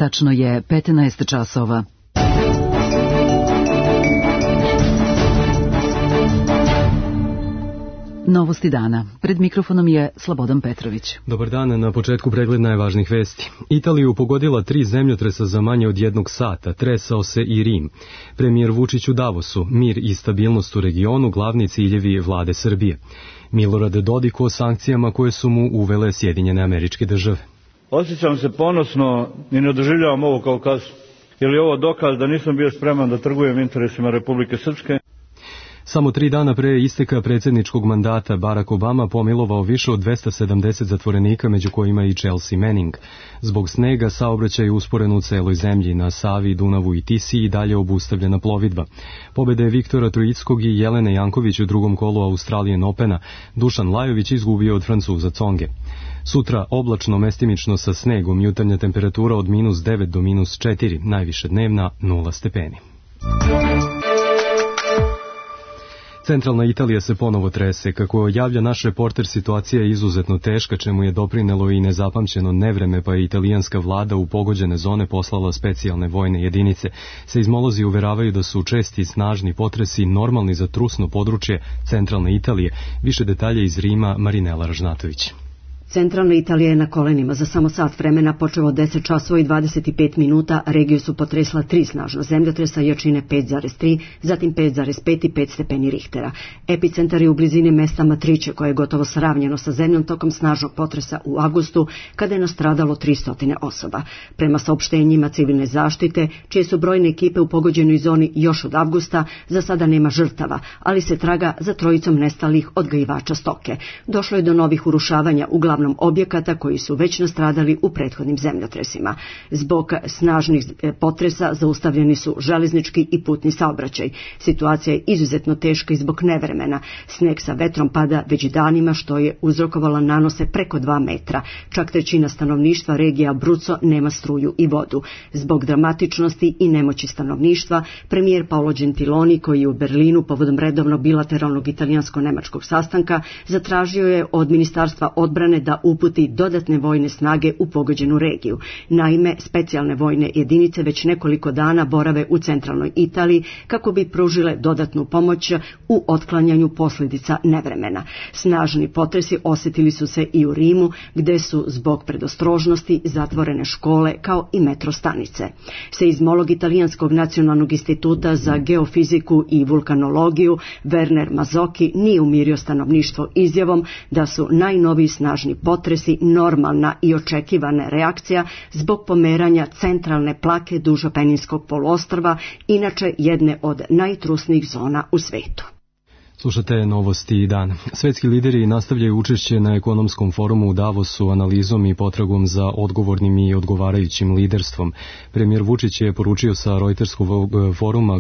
Tačno je 15 časova. Novosti dana. Pred mikrofonom je Slobodan Petrović. Dobar dan, na početku pregled najvažnijih vesti. Italiju pogodila 3 zemljotresa za manje od 1 sata, tresao se i Rim. Premijer Vučić u Davosu, mir i stabilnost u regionu, glavni ciljevi vlade Srbije. Milorad Dodik o sankcijama koje su mu uvele Sjedinjene Američke Države. Osjećam se ponosno i ne doživljavam ovo kao kaznu, jer je ovo dokaz da nisam bio spreman da trgujem interesima Republike Srpske. Samo 3 dana pre isteka predsjedničkog mandata Barack Obama pomilovao više od 270 zatvorenika, među kojima i Chelsea Manning. Zbog snega saobraćaj je usporen u celoj zemlji, na Savi, Dunavu i Tisi i dalje obustavljena plovidba. Pobjede Viktora Trojickog i Jelene Janković u drugom kolu Australian Opena, Dušan Lajović izgubio od Francuza Tsonge. Sutra oblačno, mestimično sa snegom, jutarnja temperatura od -9 do -4, najviše dnevna 0 stepeni. Centralna Italija se ponovo trese. Kako javlja naš reporter, situacija je izuzetno teška, čemu je doprinelo i nezapamćeno nevreme, pa je italijanska vlada u pogođene zone poslala specijalne vojne jedinice. Seizmolozi uveravaju da su česti snažni potresi normalni za trusno područje centralne Italije. Više detalja iz Rima, Marinela Ražnatović. Centralna Italija je na kolenima. Za samo sat vremena, počeo od 10 časova i 25 minuta, regiju su potresla 3 snažna zemljotresa jačine 5,3, zatim 5,5 i 5 stepeni Richtera. Epicentar je u blizini mesta Matrice, koje je gotovo sravnjeno sa zemljom tokom snažnog potresa u avgustu, kada je nastradalo 300 osoba. Prema saopštenjima civilne zaštite, čije su brojne ekipe u pogođenoj zoni još od avgusta, za sada nema žrtava, ali se traga za 3 nestalih odgajivača stoke. Došlo je do novih urušavanja uglavnom objekata koji su već nastradali u prethodnim zemljotresima. Zbog snažnih potresa zaustavljeni su železnički i putni saobraćaj. Situacija je izuzetno teška i zbog nevremena. Sneg sa vetrom pada već danima, što je uzrokovala nanose preko 2 metra. Čak 1/3 stanovništva regije Abruzzo nema struju i vodu. Zbog dramatičnosti i nemoći stanovništva, premijer Paolo Gentiloni, koji je u Berlinu povodom redovnog bilateralnog italijansko-nemačkog sastanka, zatražio je od Ministarstva odbrane da uputi dodatne vojne snage u pogođenu regiju. Naime, specijalne vojne jedinice već nekoliko dana borave u centralnoj Italiji kako bi pružile dodatnu pomoć u otklanjanju posljedica nevremena. Snažni potresi osjetili su se i u Rimu, gde su zbog predostrožnosti zatvorene škole kao i metro stanice. Seizmolog Italijanskog nacionalnog instituta za geofiziku i vulkanologiju Werner Mazzocchi nije umirio stanovništvo izjavom da su najnoviji snažni potresi normalna i očekivana reakcija zbog pomeranja centralne plake duž Apeninskog poluostrva, inače jedne od najtrusnijih zona u svetu. Slušate novosti dan. Svetski lideri nastavljaju učešće na ekonomskom forumu u Davosu analizom i potragom za odgovornim i odgovarajućim liderstvom. Premijer Vučić je poručio sa Reuterskog foruma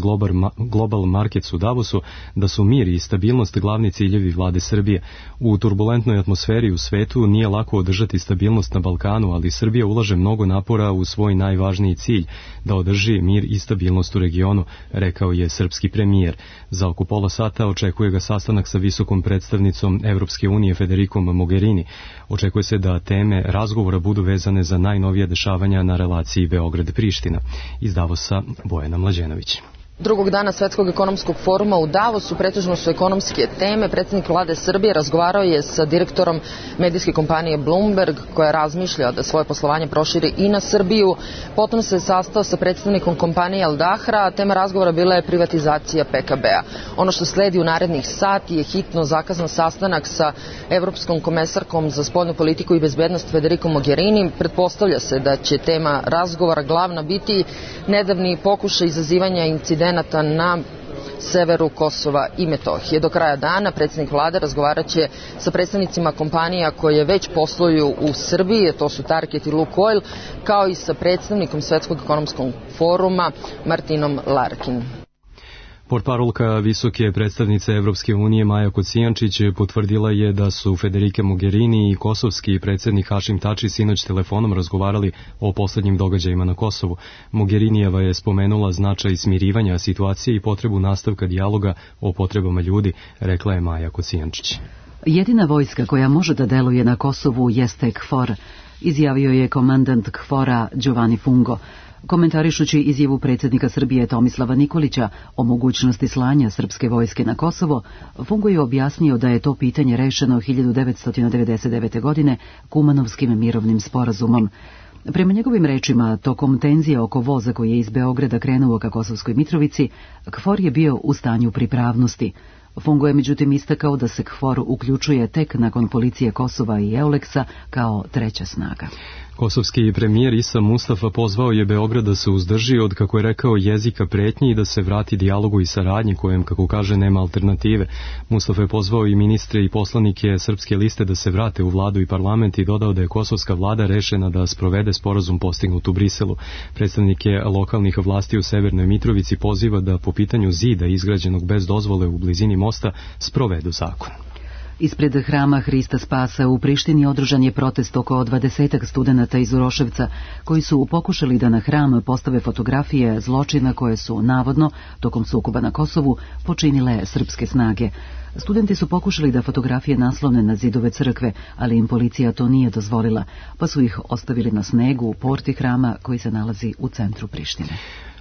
Global Markets u Davosu da su mir i stabilnost glavni ciljevi vlade Srbije. U turbulentnoj atmosferi u svetu nije lako održati stabilnost na Balkanu, ali Srbija ulaže mnogo napora u svoj najvažniji cilj, da održi mir i stabilnost u regionu, rekao je srpski premijer. Za oko pola sata očekuje ga sastanak sa visokom predstavnicom Evropske unije Federikom Mogherini. Očekuje se da teme razgovora budu vezane za najnovija dešavanja na relaciji Beograd-Priština. Iz Davosa, Bojana Mlađenović. Drugog dana Svetskog ekonomskog foruma u Davosu pretežno su ekonomske teme. Predsjednik vlade Srbije razgovarao je sa direktorom medijske kompanije Bloomberg, koja razmišlja da svoje poslovanje proširi i na Srbiju. Potom se sastao sa predstavnikom kompanije Al Dahra, a tema razgovora bila je privatizacija PKB-a. Ono što sledi u narednih sati je hitno zakazan sastanak sa Evropskom komesarkom za spoljnu politiku i bezbednost Federikom Mogherini. Pretpostavlja se da će tema razgovora glavna biti nedavni pokušaj izazivanja incidenata na severu Kosova i Metohije. Do kraja dana predsjednik vlade razgovarat će sa predstavnicima kompanija koje već posluju u Srbiji, to su Target i Lukoil, kao i sa predstavnikom Svetskog ekonomskog foruma Martinom Larkin. Portparolka visoke predstavnice Evropske unije Maja Kocijančić potvrdila je da su Federike Mogherini i kosovski predsjednik Hašim Tači sinoć telefonom razgovarali o poslednjim događajima na Kosovu. Mogherinijeva je spomenula značaj smirivanja situacije i potrebu nastavka dijaloga o potrebama ljudi, rekla je Maja Kocijančić. Jedina vojska koja može da deluje na Kosovu jeste KFOR. izjavio je komandant KFOR-a Giovanni Fungo. Komentarišući izjavu predsjednika Srbije Tomislava Nikolića o mogućnosti slanja srpske vojske na Kosovo, Fungo je objasnio da je to pitanje rešeno 1999. godine Kumanovskim mirovnim sporazumom. Prema njegovim rečima, tokom tenzije oko voza koji je iz Beograda krenuo ka Kosovskoj Mitrovici, KFOR je bio u stanju pripravnosti. Fungo je međutim istakao da se KFOR uključuje tek nakon policije Kosova i EULEX-a kao treća snaga. Kosovski premijer Isa Mustafa pozvao je Beograd da se uzdrži od, kako je rekao, jezika pretnji i da se vrati dijalogu i saradnji kojem, kako kaže, nema alternative. Mustafa je pozvao i ministre i poslanike Srpske liste da se vrate u vladu i parlament i dodao da je kosovska vlada rešena da sprovede sporazum postignut u Briselu. Predstavnike lokalnih vlasti u Severnoj Mitrovici poziva da po pitanju zida izgrađenog bez dozvole u blizini mosta sprovedu zakon. Ispred hrama Hrista Spasa u Prištini održan je protest oko 20 studenata iz Uroševca koji su pokušali da na hram postave fotografije zločina koje su navodno tokom sukoba na Kosovu počinile srpske snage. Studenti su pokušali da fotografije naslone na zidove crkve, ali im policija to nije dozvolila, pa su ih ostavili na snegu u porti hrama koji se nalazi u centru Prištine.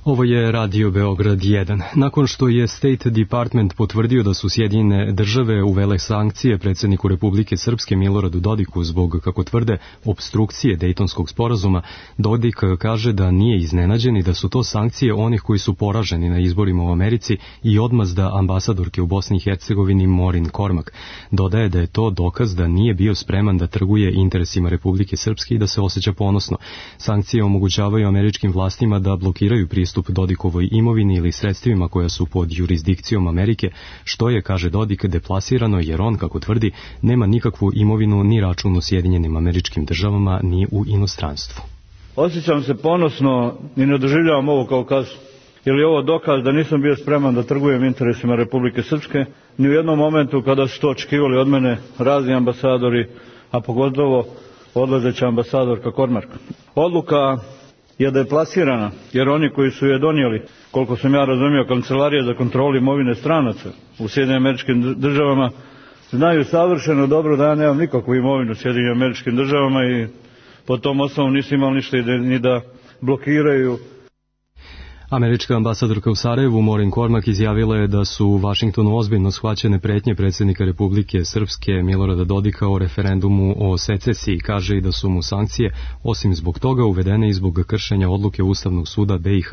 Ovo je Radio Beograd 1. Nakon što je State Department potvrdio da su Sjedinjene države uvele sankcije predsjedniku Republike Srpske Miloradu Dodiku zbog, kako tvrde, obstrukcije Dejtonskog sporazuma, Dodik kaže da nije iznenađen i da su to sankcije onih koji su poraženi na izborima u Americi i odmazda ambasadorke u Bosni i Hercegovini Morin Kormak. Dodaje da je to dokaz da nije bio spreman da trguje interesima Republike Srpske i da se osjeća ponosno. Sankcije omogućavaju američkim vlastima da blokiraju pristup Dodikovoj imovini ili sredstvima koja su pod jurisdikcijom Amerike, što je, kaže Dodik, deplasirano jer on, kako tvrdi, nema nikakvu imovinu ni račun u Sjedinjenim Američkim Državama ni u inostranstvu. Osjećam se ponosno i ne doživljavam ovo kao kasu. Je li ovo dokaz da nisam bio spreman da trgujem interesima Republike Srpske? Ni u jednom momentu kada su to očekivali od mene razni ambasadori, a pogotovo odlazeća ambasadorka Kormark. Odluka je deplasirana, jer oni koji su je donijeli, koliko sam ja razumio, Kancelarija za kontrolu imovine stranaca u Sjedinjenim Američkim Državama, znaju savršeno dobro da ja nemam nikakvu imovinu u Sjedinjenim Američkim Državama i po tom osnovu nisu imali ništa ni da blokiraju. Američka ambasadorka u Sarajevu Morin Kormak izjavila je da su u Vašingtonu ozbiljno shvaćene pretnje predsjednika Republike Srpske Milorada Dodika o referendumu o secesiji. Kaže i da su mu sankcije osim zbog toga uvedene i zbog kršenja odluke Ustavnog suda BiH,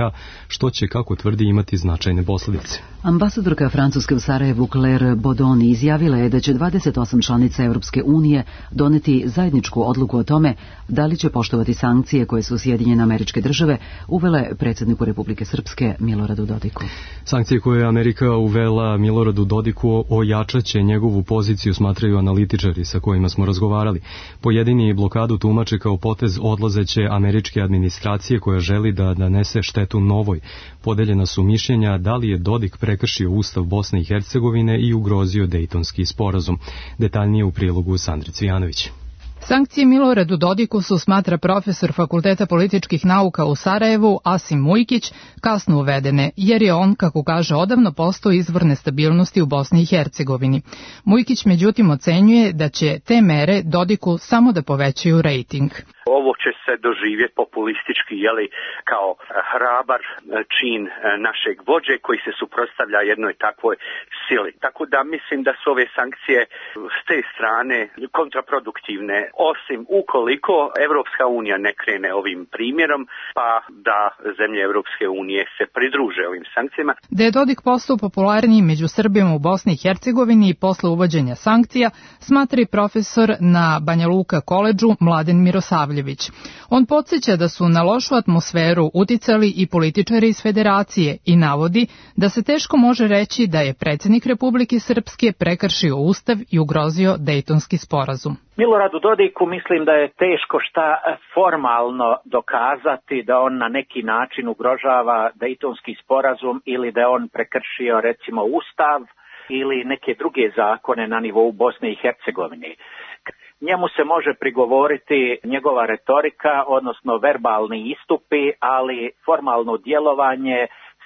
što će, kako tvrdi, imati značajne posljedice. Ambasadorka Francuske u Sarajevu Claire Bodoni izjavila je da će 28 članica Europske unije doneti zajedničku odluku o tome da li će poštovati sankcije koje su Sjedinjene Američke Države uvele predsjedniku Republike Srpske Miloradu Dodiku. Sankcije koje je Amerika uvela Miloradu Dodiku ojačaće njegovu poziciju, smatraju analitičari sa kojima smo razgovarali. Pojedini blokadu tumače kao potez odlazeće američke administracije koja želi da nanese štetu novoj. Podeljena su mišljenja da li je Dodik prekršio Ustav Bosne i Hercegovine i ugrozio Dejtonski sporazum. Detaljnije u prilogu Sandre Cvijanović. Sankcije Miloradu Dodiku su, smatra profesor Fakulteta političkih nauka u Sarajevu Asim Mujkić, kasno uvedene, jer je on, kako kaže, odavno postao izvor nestabilnosti u Bosni i Hercegovini. Mujkić međutim ocenjuje da će te mere Dodiku samo da povećaju rejting. Ovo će se doživjeti populistički, kao hrabar čin našeg vođe koji se suprotstavlja jednoj takvoj sili. Tako da mislim da su ove sankcije s te strane kontraproduktivne, osim ukoliko Evropska unija ne krene ovim primjerom, pa da zemlje Evropske unije se pridruže ovim sankcijama. Da je Dodik postao popularniji među Srbima u Bosni i Hercegovini i posle uvođenja sankcija, smatra i profesor na Banja Luka koledžu Mladen Mirosavljević. On podsjeća da su na lošu atmosferu uticali i političari iz Federacije i navodi da se teško može reći da je predsjednik Republike Srpske prekršio Ustav i ugrozio Dejtonski sporazum. Miloradu Dodiku mislim da je teško šta formalno dokazati da on na neki način ugrožava Dejtonski sporazum ili da je on prekršio recimo Ustav ili neke druge zakone na nivou Bosne i Hercegovine. Njemu se može prigovoriti njegova retorika, odnosno verbalni istupi, ali formalno djelovanje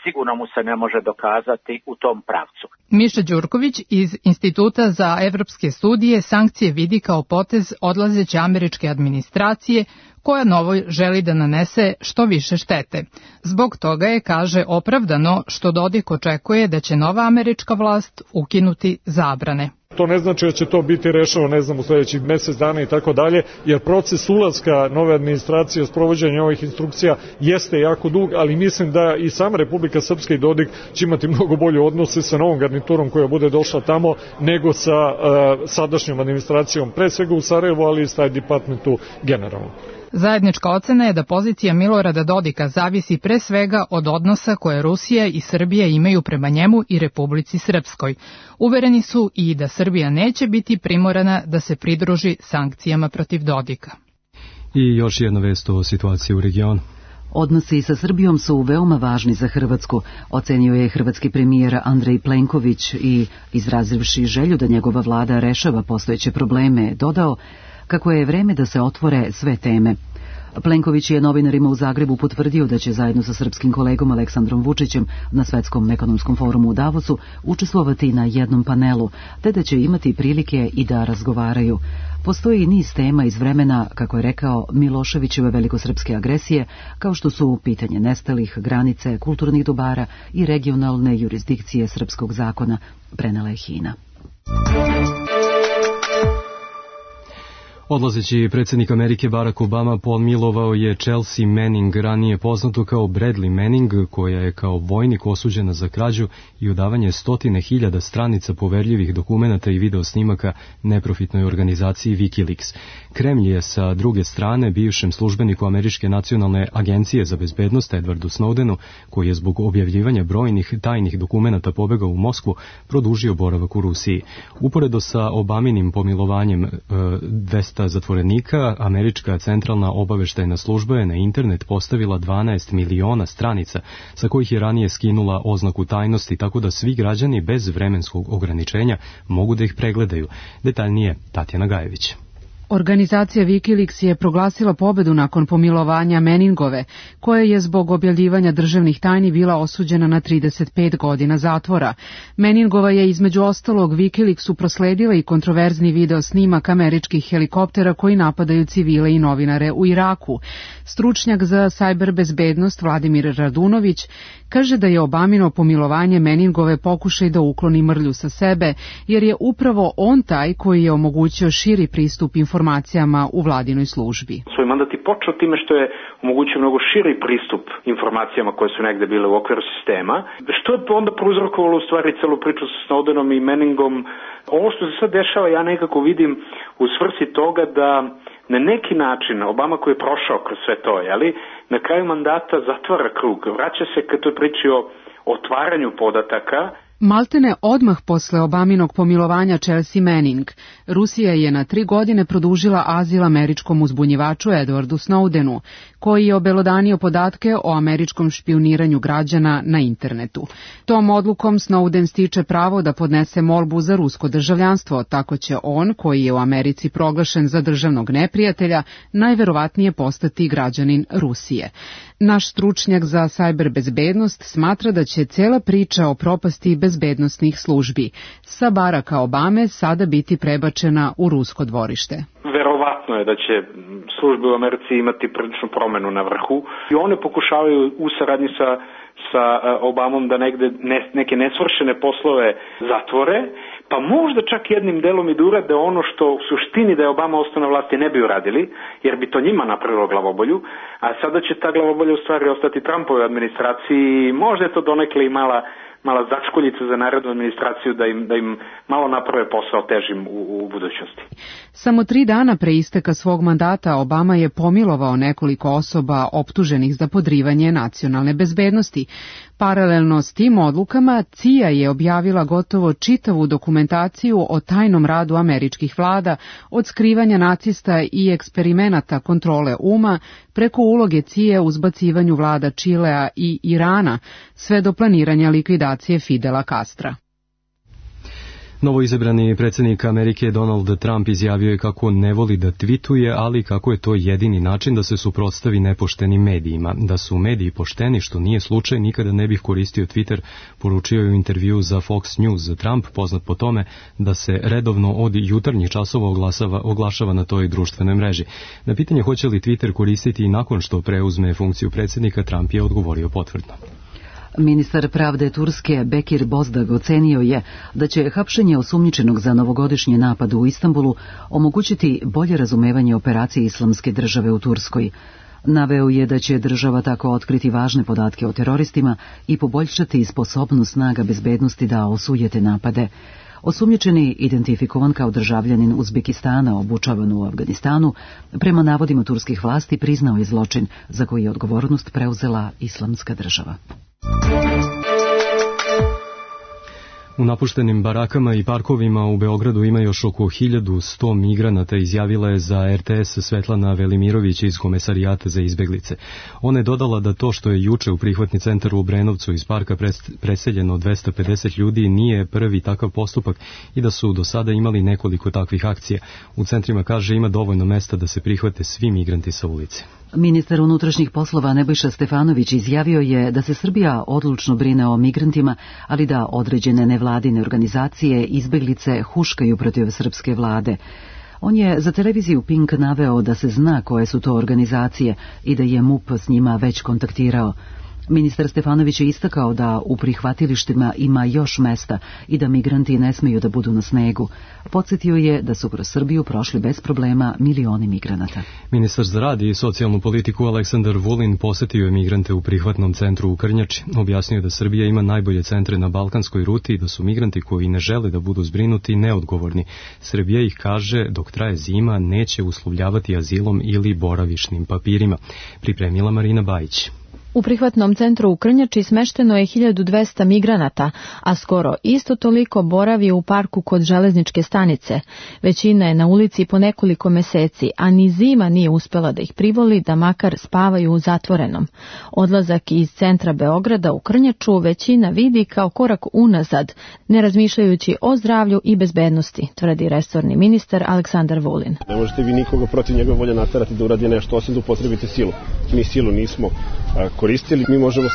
sigurno mu se ne može dokazati u tom pravcu. Miša Đurković iz Instituta za evropske studije sankcije vidi kao potez odlazeće američke administracije koja novoj želi da nanese što više štete. Zbog toga je, kaže, opravdano što Dodik očekuje da će nova američka vlast ukinuti zabrane. To ne znači da će to biti rešeno, ne znam, u sledećih mesec dana i tako dalje, jer proces ulaska nove administracije, sprovođenja ovih instrukcija jeste jako dug, ali mislim da i sama Republika Srpska i Dodik će imati mnogo bolje odnose sa novom garniturom koja bude došla tamo nego sa sadašnjom administracijom, pre svega u Sarajevu, ali i State Departmentu generalno. Zajednička ocena je da pozicija Milorada Dodika zavisi pre svega od odnosa koje Rusija i Srbija imaju prema njemu i Republici Srpskoj. Uvereni su i da Srbija neće biti primorana da se pridruži sankcijama protiv Dodika. I još jedna vest o situaciji u regionu. Odnosi sa Srbijom su veoma važni za Hrvatsku, ocenio je hrvatski premijer Andrej Plenković i, izrazivši želju da njegova vlada rešava postojeće probleme, dodao kako je vreme da se otvore sve teme. Plenković je novinarima u Zagrebu potvrdio da će zajedno sa srpskim kolegom Aleksandrom Vučićem na Svetskom ekonomskom forumu u Davosu učestvovati na jednom panelu, te da će imati prilike i da razgovaraju. Postoji niz tema iz vremena, kako je rekao, Miloševićeve velikosrpske agresije, kao što su pitanje nestalih, granice, kulturnih dobara i regionalne jurisdikcije srpskog zakona, prenela je HINA. Odlazeći predsjednik Amerike Barack Obama pomilovao je Chelsea Manning, ranije poznato kao Bradley Manning, koja je kao vojnik osuđena za krađu i udavanje 100.000 stranica poverljivih dokumenata i videosnimaka neprofitnoj organizaciji Wikileaks. Kremlj je sa druge strane bivšem službeniku Američke nacionalne agencije za bezbednost Edwardu Snowdenu, koji je zbog objavljivanja brojnih tajnih dokumenata pobegao u Moskvu, produžio boravak u Rusiji. Uporedo sa Obaminim pomilovanjem 200 zatvorenika, Američka centralna obaveštajna služba je na internet postavila 12 miliona stranica, sa kojih je ranije skinula oznaku tajnosti, tako da svi građani bez vremenskog ograničenja mogu da ih pregledaju. Detaljnije Tatjana Gajević. Organizacija Wikileaks je proglasila pobedu nakon pomilovanja Manningove, koja je zbog objavljivanja državnih tajni bila osuđena na 35 godina zatvora. Manningova je između ostalog Wikileaksu prosledila i kontroverzni video snimak američkih helikoptera koji napadaju civile i novinare u Iraku. Stručnjak za sajber bezbednost Vladimir Radunović kaže da je Obamino pomilovanje Manningove pokušaj da ukloni mrlju sa sebe, jer je upravo on taj koji je omogućio širi pristup informacijama u vladinoj službi. Svoj mandat je počeo time što je omogućio mnogo širi pristup informacijama koje su negde bile u okviru sistema, što je onda prouzrokovalo u stvari celu priču sa Snowdenom i Manningom. Ovo što se sad dešava ja nekako vidim u svrsi toga da na neki način Obama koji je prošao kroz sve to, na kraju mandata zatvara krug, vraća se kad toj priči o otvaranju podataka. Maltene odmah posle Obaminog pomilovanja Chelsea Manning, Rusija je na 3 godine produžila azil američkom uzbunjivaču Edwardu Snowdenu, koji je obelodanio podatke o američkom špijuniranju građana na internetu. Tom odlukom Snowden stiče pravo da podnese molbu za rusko državljanstvo, tako će on, koji je u Americi proglašen za državnog neprijatelja, najverovatnije postati građanin Rusije. Naš stručnjak za sajber bezbednost smatra da će cela priča o propasti bezbednostnih službi sa Baracka Obame sada biti prebačena u rusko dvorište. Verovatno je da će službe u Americi imati priličnu promenu na vrhu i one pokušavaju u saradnji sa Obamom da negde neke nesvršene poslove zatvore, pa možda čak jednim delom i da urade ono što u suštini da je Obama ostao na vlasti ne bi uradili, jer bi to njima napravilo glavobolju, a sada će ta glavobolja u stvari ostati Trumpovoj administraciji i možda je to donekle i mala začkoljica za narednu administraciju da im malo naprave posao težim u budućnosti. Samo 3 dana pre isteka svog mandata Obama je pomilovao nekoliko osoba optuženih za podrivanje nacionalne bezbednosti. Paralelno s tim odlukama, CIA je objavila gotovo čitavu dokumentaciju o tajnom radu američkih vlada, od skrivanja nacista i eksperimenata kontrole uma, preko uloge CIA u zbacivanju vlada Čilea i Irana, sve do planiranja likvidacije Fidela Castra. Novoizabrani predsjednik Amerike Donald Trump izjavio je kako ne voli da tvituje, ali kako je to jedini način da se suprotstavi nepoštenim medijima. Da su mediji pošteni, što nije slučaj, nikada ne bih koristio Twitter, poručio je u intervju za Fox News. Trump, poznat po tome da se redovno od jutarnjih časova oglašava na toj društvenoj mreži. Na pitanje hoće li Twitter koristiti i nakon što preuzme funkciju predsjednika, Trump je odgovorio potvrdno. Ministar pravde Turske Bekir Bozdag ocenio je da će hapšenje osumnjičenog za novogodišnji napad u Istanbulu omogućiti bolje razumevanje operacije Islamske države u Turskoj. Naveo je da će država tako otkriti važne podatke o teroristima i poboljšati sposobnost snaga bezbednosti da osujete napade. Osumnjičeni, identifikovan kao državljanin Uzbekistana obučavan u Afganistanu, prema navodima turskih vlasti priznao je zločin za koji je odgovornost preuzela Islamska država. U napuštenim barakama i parkovima u Beogradu ima još oko 1100 migranata, izjavila je za RTS Svetlana Velimirović iz Komesarijata za izbeglice. Ona je dodala da to što je juče u prihvatni centar u Obrenovcu iz parka preseljeno 250 ljudi nije prvi takav postupak i da su do sada imali nekoliko takvih akcija. U centrima, kaže, ima dovoljno mesta da se prihvate svi migranti sa ulice. Ministar unutrašnjih poslova Nebojša Stefanović izjavio je da se Srbija odlučno brine o migrantima, ali da određene nevladine organizacije izbeglice huškaju protiv srpske vlade. On je za televiziju Pink naveo da se zna koje su to organizacije i da je MUP s njima već kontaktirao. Ministar Stefanović je istakao da u prihvatilištima ima još mesta i da migranti ne smeju da budu na snegu. Podsjetio je da su kroz Srbiju prošli bez problema milioni migranata. Ministar za rad i socijalnu politiku Aleksandar Vulin posetio je migrante u prihvatnom centru u Krnjači. Objasnio da Srbija ima najbolje centre na balkanskoj ruti i da su migranti koji ne žele da budu zbrinuti neodgovorni. Srbija ih, kaže, dok traje zima neće uslovljavati azilom ili boravišnim papirima. Pripremila Marina Bajić. U prihvatnom centru u Krnjači smešteno je 1200 migranata, a skoro isto toliko boravi u parku kod železničke stanice. Većina je na ulici po nekoliko meseci, a ni zima nije uspela da ih privoli da makar spavaju u zatvorenom. Odlazak iz centra Beograda u Krnjaču većina vidi kao korak unazad, ne razmišljajući o zdravlju i bezbednosti, tvrdi resorni ministar Aleksandar Vulin. Ne možete vi nikoga protiv njegove volje naterati da uradi nešto, osim da upotrebite silu. Mi silu nismo koristili, mi možemo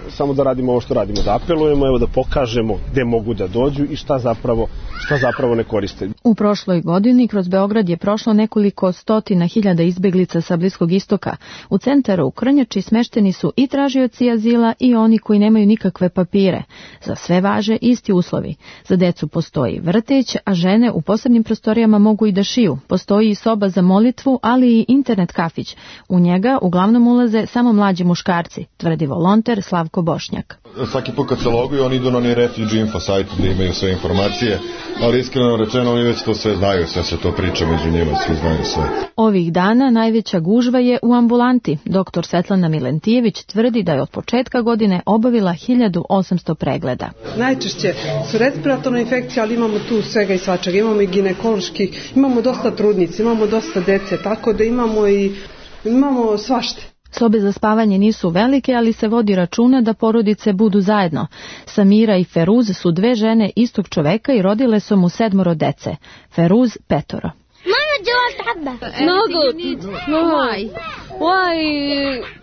samo da radimo ovo što radimo, da apelujemo, evo da pokažemo gde mogu da dođu i šta zapravo ne koriste. U prošloj godini kroz Beograd je prošlo nekoliko stotina hiljada izbeglica sa Bliskog istoka. U centru u Krnjači smešteni su i tražioci azila i oni koji nemaju nikakve papire. Za sve važe isti uslovi. Za decu postoji vrtić, a žene u posebnim prostorijama mogu i da šiju. Postoji i soba za molitvu, ali i internet kafić. U njega uglavnom ulaze samo mlađi muškarci, tvrdi volonter Slavko Bošnjak. Svaki put kad se loguju, oni idu na onaj Refugee Info sajt gde imaju sve informacije, ali iskreno rečeno oni već to sve znaju, sve se to priča među njima, svi znaju sve. Ovih dana najveća gužva je u ambulanti. Doktor Svetlana Milentijević tvrdi da je od početka godine obavila 1800 pregleda. Najčešće su respiratorne infekcije, ali imamo tu svega i svačega. Imamo i ginekološki, imamo dosta trudnica, imamo dosta dece, tako da imamo svašta. Sobe za spavanje nisu velike, ali se vodi računa da porodice budu zajedno. Samira i Feruz su dve žene istog čoveka i rodile su mu 7 dece. Feruz 5.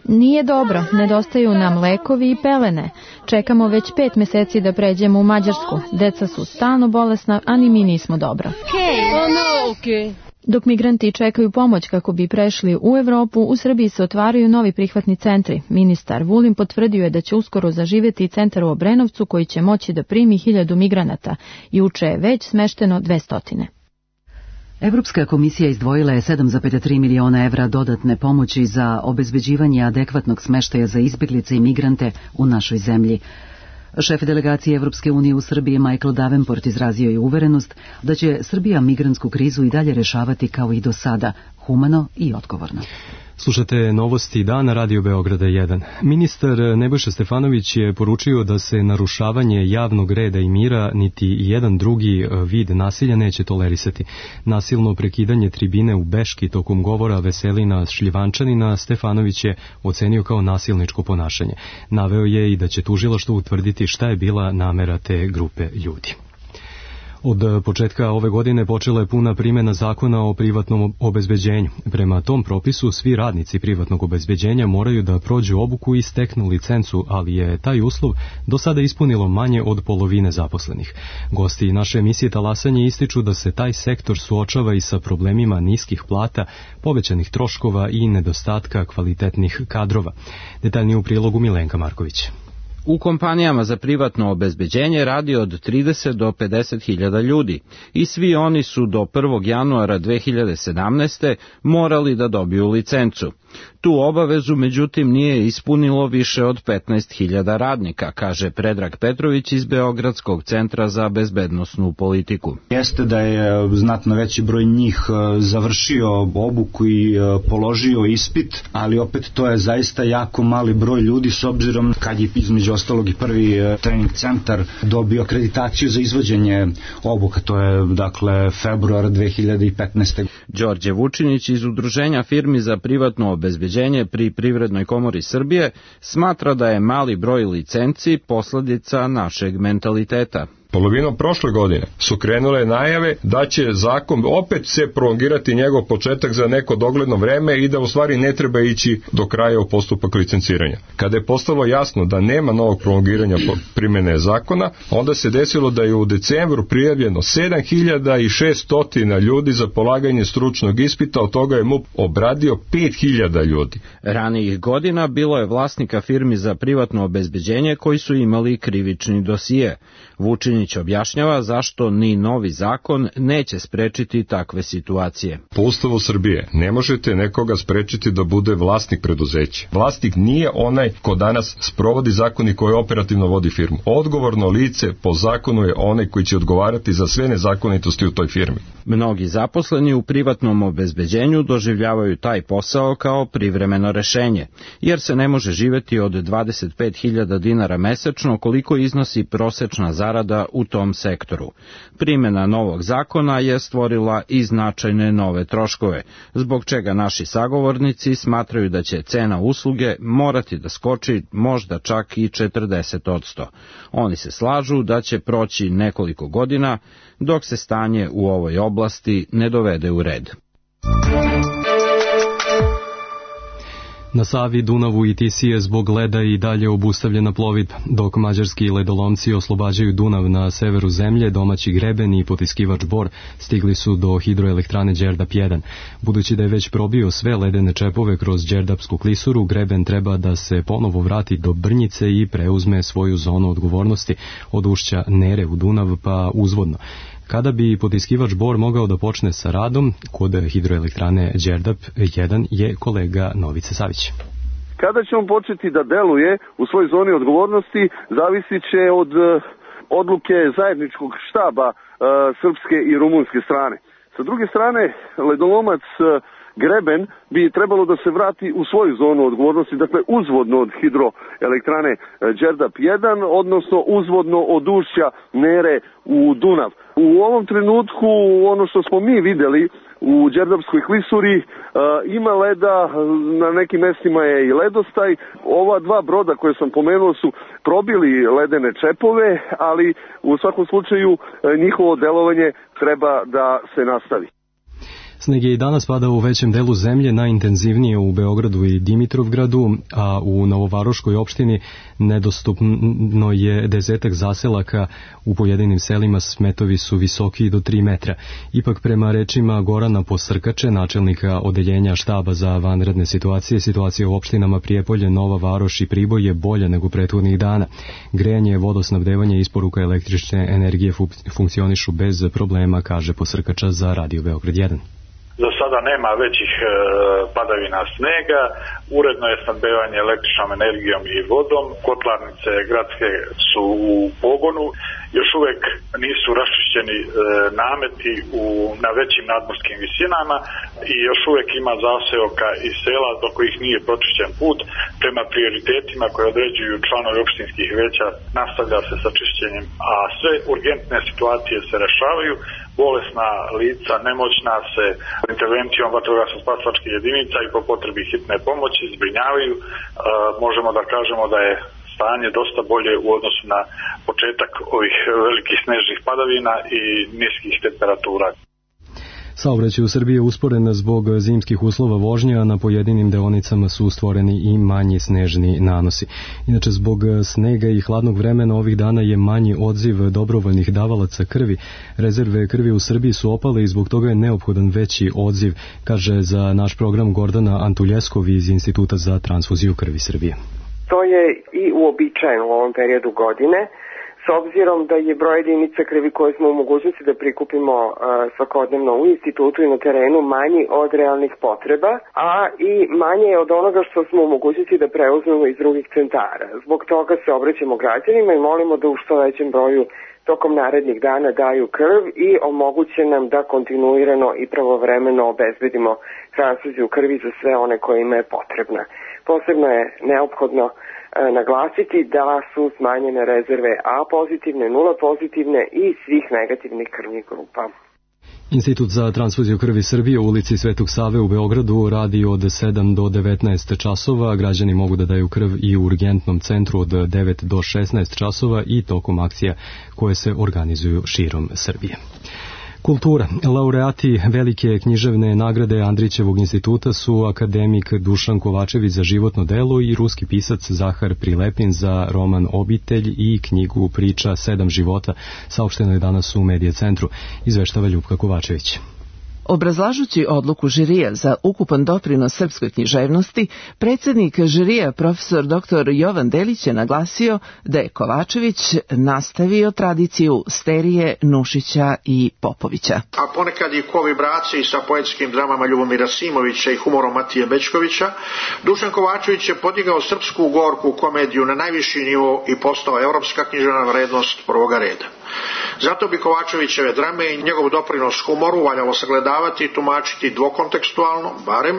Nije dobro, nedostaju nam lekovi i pelene. Čekamo već 5 meseci da pređemo u Mađarsku. Deca su stalno bolesna, a ni mi nismo dobro. Dok migranti čekaju pomoć kako bi prešli u Evropu, u Srbiji se otvaraju novi prihvatni centri. Ministar Vulin potvrdio je da će uskoro zaživjeti centar u Obrenovcu koji će moći da primi 1000 migranata. Juče je već smešteno 200. Evropska komisija izdvojila je 7,3 miliona evra dodatne pomoći za obezbeđivanje adekvatnog smeštaja za izbjeglice i migrante u našoj zemlji. Šef delegacije Evropske unije u Srbiji Michael Davenport izrazio je uverenost da će Srbija migrantsku krizu i dalje rešavati kao i do sada, humano i odgovorno. Slušate novosti dana Radio Beograda 1. Ministar Nebojša Stefanović je poručio da se narušavanje javnog reda i mira niti jedan drugi vid nasilja neće tolerisati. Nasilno prekidanje tribine u Beški tokom govora Veselina Šljivančanina Stefanović je ocenio kao nasilničko ponašanje. Naveo je i da će tužilaštvo utvrditi šta je bila namera te grupe ljudi. Od početka ove godine počela je puna primjena zakona o privatnom obezbeđenju. Prema tom propisu svi radnici privatnog obezbeđenja moraju da prođu obuku i steknu licencu, ali je taj uslov do sada ispunilo manje od polovine zaposlenih. Gosti naše emisije Talasanje ističu da se taj sektor suočava i sa problemima niskih plata, povećanih troškova i nedostatka kvalitetnih kadrova. Detaljnije u prilogu Milenka Marković. U kompanijama za privatno obezbeđenje radi od 30 do 50 hiljada ljudi i svi oni su do 1. januara 2017. morali da dobiju licencu. Tu obavezu, međutim, nije ispunilo više od 15.000 radnika, kaže Predrag Petrović iz Beogradskog centra za bezbednosnu politiku. Jeste da je znatno veći broj njih završio obuku i položio ispit, ali opet to je zaista jako mali broj ljudi s obzirom kad je između ostalog i prvi trening centar dobio akreditaciju za izvođenje obuka, to je dakle februar 2015. Đorđe Vučinić iz Udruženja firmi za privatno obezbeđenje pri Privrednoj komori Srbije smatra da je mali broj licenci posledica našeg mentaliteta. Polovinom prošle godine su krenule najave da će zakon opet se prolongirati njegov početak za neko dogledno vreme i da u stvari ne treba ići do kraja u postupak licenciranja. Kada je postalo jasno da nema novog prolongiranja primjene zakona, onda se desilo da je u decembru prijavljeno 7.600 ljudi za polaganje stručnog ispita, od toga je MUP obradio 5.000 ljudi. Ranijih godina bilo je vlasnika firmi za privatno obezbeđenje koji su imali krivični dosije. Vučinić objašnjava zašto ni novi zakon neće sprečiti takve situacije. Po Ustavu Srbije ne možete nekoga sprečiti da bude vlasnik preduzeća. Vlasnik nije onaj ko danas sprovodi zakon i koji operativno vodi firmu. Odgovorno lice po zakonu je onaj koji će odgovarati za sve nezakonitosti u toj firmi. Mnogi zaposleni u privatnom obezbeđenju doživljavaju taj posao kao privremeno rešenje, jer se ne može živeti od 25.000 dinara mesečno koliko iznosi prosečna zarada u tom sektoru. Primjena novog zakona je stvorila i značajne nove troškove, zbog čega naši sagovornici smatraju da će cena usluge morati da skoči možda čak i 40%. Oni se slažu da će proći nekoliko godina dok se stanje u ovoj oblasti ne dovede u red. Na Savi, Dunavu i Tisi je zbog leda i dalje obustavljena plovidba, dok mađarski ledolomci oslobađaju Dunav na severu zemlje, domaći greben i potiskivač Bor stigli su do hidroelektrane Đerdap 1. Budući da je već probio sve ledene čepove kroz Đerdapsku klisuru, greben treba da se ponovo vrati do Brnjice i preuzme svoju zonu odgovornosti od ušća Nere u Dunav pa uzvodno. Kada bi potiskivač Bor mogao da počne sa radom, kod hidroelektrane Đerdap 1 je kolega Novice Savić. Kada će on početi da deluje u svojoj zoni odgovornosti, zavisit će od odluke zajedničkog štaba srpske i rumunske strane. Sa druge strane, ledolomac greben bi trebalo da se vrati u svoju zonu odgovornosti, dakle uzvodno od hidroelektrane Đerdap 1, odnosno uzvodno od ušća Nere u Dunav. U ovom trenutku ono što smo mi videli u Đerdapskoj klisuri ima leda, na nekim mestima je i ledostaj. Ova dva broda koje sam pomenuo su probili ledene čepove, ali u svakom slučaju njihovo delovanje treba da se nastavi. Sneg je i danas padao u većem delu zemlje, najintenzivnije u Beogradu i Dimitrovgradu, a u Novovaroškoj opštini nedostupno je 10 zaselaka. U pojedinim selima smetovi su visoki do 3 metra. Ipak prema rečima Gorana Posrkače, načelnika odeljenja štaba za vanredne situacije, situacija u opštinama Prijepolje, Nova Varoš i Priboj je bolja nego prethodnih dana. Grejanje, vodosnabdevanje i isporuka električne energije funkcionišu bez problema, kaže Posrkača za Radio Beograd 1. Za sada nema većih padavina snega, uredno je snabdevanje električnom energijom i vodom, kotlarnice gradske su u pogonu, još uvek nisu raščišćeni nameti na većim nadmorskim visinama i još uvek ima zaseoka i sela do kojih nije pročišćen put. Prema prioritetima koje određuju članovi opštinskih veća nastavlja se sa čišćenjem, a sve urgentne situacije se rešavaju. Bolesna lica, nemoćna se intervencijom vatrogasno-spasilačkih jedinica i po potrebi hitne pomoći zbrinjavaju. Možemo da kažemo da je stanje dosta bolje u odnosu na početak ovih velikih snežnih padavina i niskih temperatura. Saobraćaj u Srbiji je usporen zbog zimskih uslova vožnje, a na pojedinim deonicama su stvoreni i manji snežni nanosi. Inače, zbog snega i hladnog vremena ovih dana je manji odziv dobrovoljnih davalaca krvi. Rezerve krvi u Srbiji su opale i zbog toga je neophodan veći odziv, kaže za naš program Gordana Antuljeskov iz Instituta za transfuziju krvi Srbije. To je i uobičajeno u ovom periodu godine, s obzirom da je broj jedinica krvi koje smo u mogućnosti da prikupimo svakodnevno u institutu i na terenu manji od realnih potreba, a i manje je od onoga što smo u mogućnosti da preuzmemo iz drugih centara. Zbog toga se obraćamo građanima i molimo da u što većem broju tokom narednih dana daju krv i omoguće nam da kontinuirano i pravovremeno obezbedimo transfuziju krvi za sve one kojima je potrebna. Posebno je neophodno naglasiti da su smanjene rezerve A pozitivne, nula pozitivne i svih negativnih krvnih grupa. Institut za transfuziju krvi Srbije u ulici Svetog Save u Beogradu radi od 7 do 19 časova. Građani mogu da daju krv i u urgentnom centru od 9 do 16 časova i tokom akcija koje se organizuju širom Srbije. Kultura. Laureati velike književne nagrade Andrićevog instituta su akademik Dušan Kovačević za životno delo i ruski pisac Zahar Prilepin za roman Obitelj i knjigu Priča 7 života. Saopšteno je danas u Medija centru, izveštava Ljupka Kovačević. Obrazlažući odluku žirija za ukupan doprinos srpskoj književnosti, predsjednik žirija profesor dr. Jovan Delić je naglasio da je Kovačević nastavio tradiciju Sterije, Nušića i Popovića. A ponekad i ko vibraciji sa poetskim dramama Ljubomira Simovića i humorom Matije Bećkovića, Dušan Kovačević je podigao srpsku gorku komediju na najviši nivo i postao evropska književna vrednost prvoga reda. Zato bi Kovačevićeve drame i njegov doprinos humoru valjalo sagledavati i tumačiti dvokontekstualno, barem,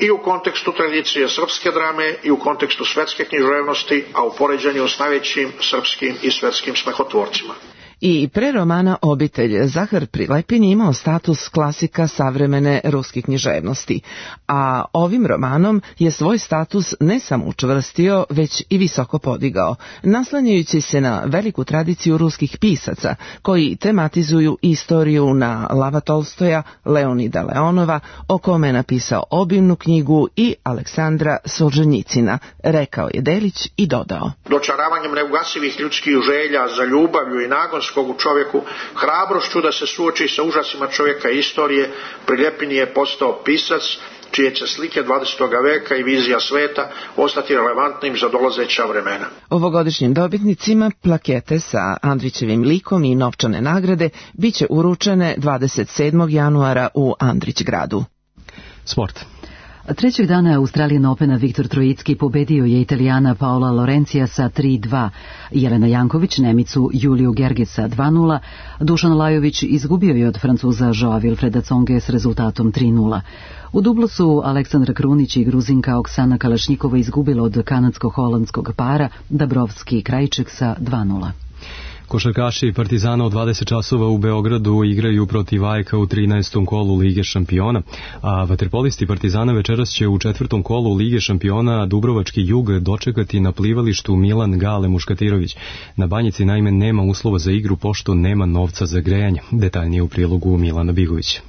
i u kontekstu tradicije srpske drame i u kontekstu svetske književnosti, a u poređanju s najvećim srpskim i svetskim smehotvorcima. I pre romana Obitelj Zahar Prilepin je imao status klasika savremene ruske književnosti, a ovim romanom je svoj status ne samo učvrstio, već i visoko podigao, naslanjajući se na veliku tradiciju ruskih pisaca koji tematizuju istoriju na Lava Tolstoja, Leonida Leonova, o kome je napisao obimnu knjigu, i Aleksandra Solženjicina, rekao je Delić i dodao. Dočaravanjem neugasivih ljudskih želja za ljubavlju i nagonskog u čovjeku, hrabrošću da se suoči sa užasima čovjeka i istorije, Prilepin je postao pisac čije će slike 20. veka i vizija sveta ostati relevantnim za dolazeća vremena. Ovogodišnjim dobitnicima plakete sa Andrićevim likom i novčane nagrade biće uručene 27. januara u Andrićgradu. Sport. Trećeg dana Australijan Opena Viktor Trojicki pobedio je Italijana Paola Lorencija sa 3-2, Jelena Janković Nemicu Juliju Gergesa 2-0, Dušan Lajović izgubio je od Francuza Joa Wilfreda Tsonge s rezultatom 3-0. U dublu su Aleksandra Krunić i Gruzinka Oksana Kalašnjikova izgubila od kanadsko-holandskog para Dabrovski Krajček sa 2-0. Košarkaši Partizana od 20 časova u Beogradu igraju protiv AEK u 13. kolu Lige šampiona, a vaterpolisti Partizana večeras će u 4. kolu Lige šampiona Dubrovački Jug dočekati na plivalištu Milan Gale Muškatirović. Na Banjici naime nema uslova za igru pošto nema novca za grejanje. Detaljnije u prilogu Milana Bigovića.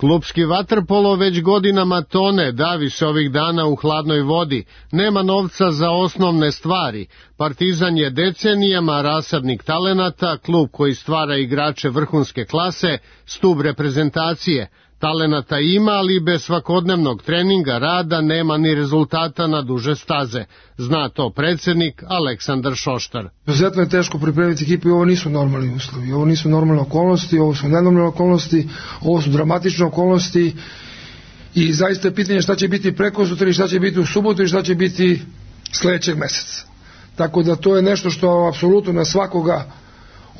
Klupski vaterpolo već godinama tone, davi se ovih dana u hladnoj vodi, nema novca za osnovne stvari. Partizan je decenijama rasadnik talenata, klub koji stvara igrače vrhunske klase, stub reprezentacije. Talenata ima, ali bez svakodnevnog treninga, rada nema ni rezultata na duže staze. Zna to predsjednik Aleksandar Šoštar. Izuzetno je teško pripremiti ekipu i ovo nisu normalni uslovi, ovo nisu normalne okolnosti, ovo su nenormalne okolnosti, ovo su dramatične okolnosti i zaista je pitanje šta će biti preko sutra i šta će biti u subotu i šta će biti sljedećeg meseca. Tako da to je nešto što apsolutno na svakoga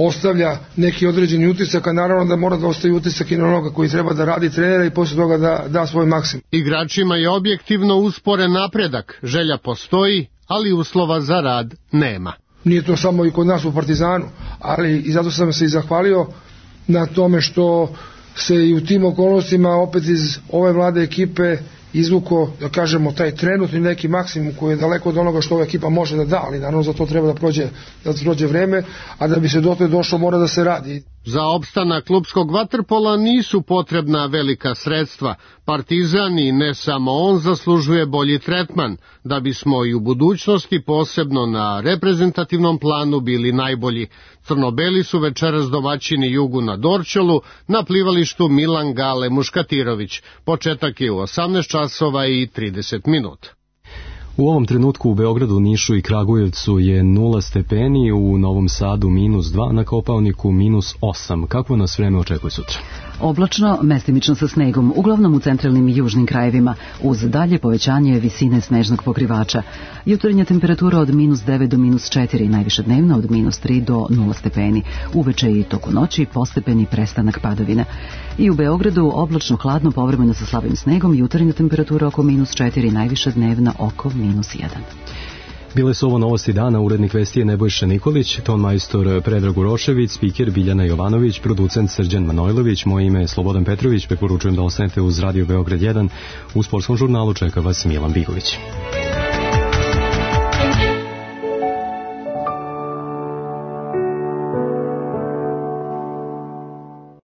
ostavlja neki određeni utisak, a naravno da mora da ostavi utisak i na onoga koji treba da radi trenera i poslije toga da da svoj maksimum. Igračima je objektivno usporen napredak, želja postoji, ali uslova za rad nema. Nije to samo i kod nas u Partizanu, ali i zato sam se i zahvalio na tome što se i u tim okolnostima opet iz ove mlade ekipe izvuko, da kažemo, taj trenutni neki maksimum koji je daleko od onoga što ova ekipa može da da, ali naravno za to treba da prođe vreme, a da bi se dotle došlo mora da se radi. Za opstanak klupskog vaterpola nisu potrebna velika sredstva. Partizan i ne samo on zaslužuje bolji tretman, da bismo i u budućnosti posebno na reprezentativnom planu bili najbolji. Crnobeli su večeras domaćini Jugu na Dorćolu na plivalištu Milan Gale Muškatirović. Početak je u 18 časova i 30 minuta. U ovom trenutku u Beogradu, Nišu i Kragujevcu je 0 stepeni, u Novom Sadu -2, na Kopaoniku -8. Kakvo nas vreme očekuje sutra? Oblačno, mestimično sa snegom, uglavnom u centralnim i južnim krajevima, uz dalje povećanje visine snežnog pokrivača. Jutarnja temperatura od -9 do -4, najviše dnevna od -3 do 0 stepeni. Uveče i toku noći postepeni prestanak padavina. I u Beogradu oblačno, hladno, povremeno sa slabim snegom, jutarnja temperatura oko -4, najviše dnevna oko -1. Bile su ovo novosti dana, urednik vesti je Nebojša Nikolić, ton majstor Predrag Urošević, spiker Biljana Jovanović, producent Srđan Manojlović, moje ime je Slobodan Petrović, preporučujem da ostanete uz Radio Beograd 1, u sportskom žurnalu čeka vas Milan Bigović.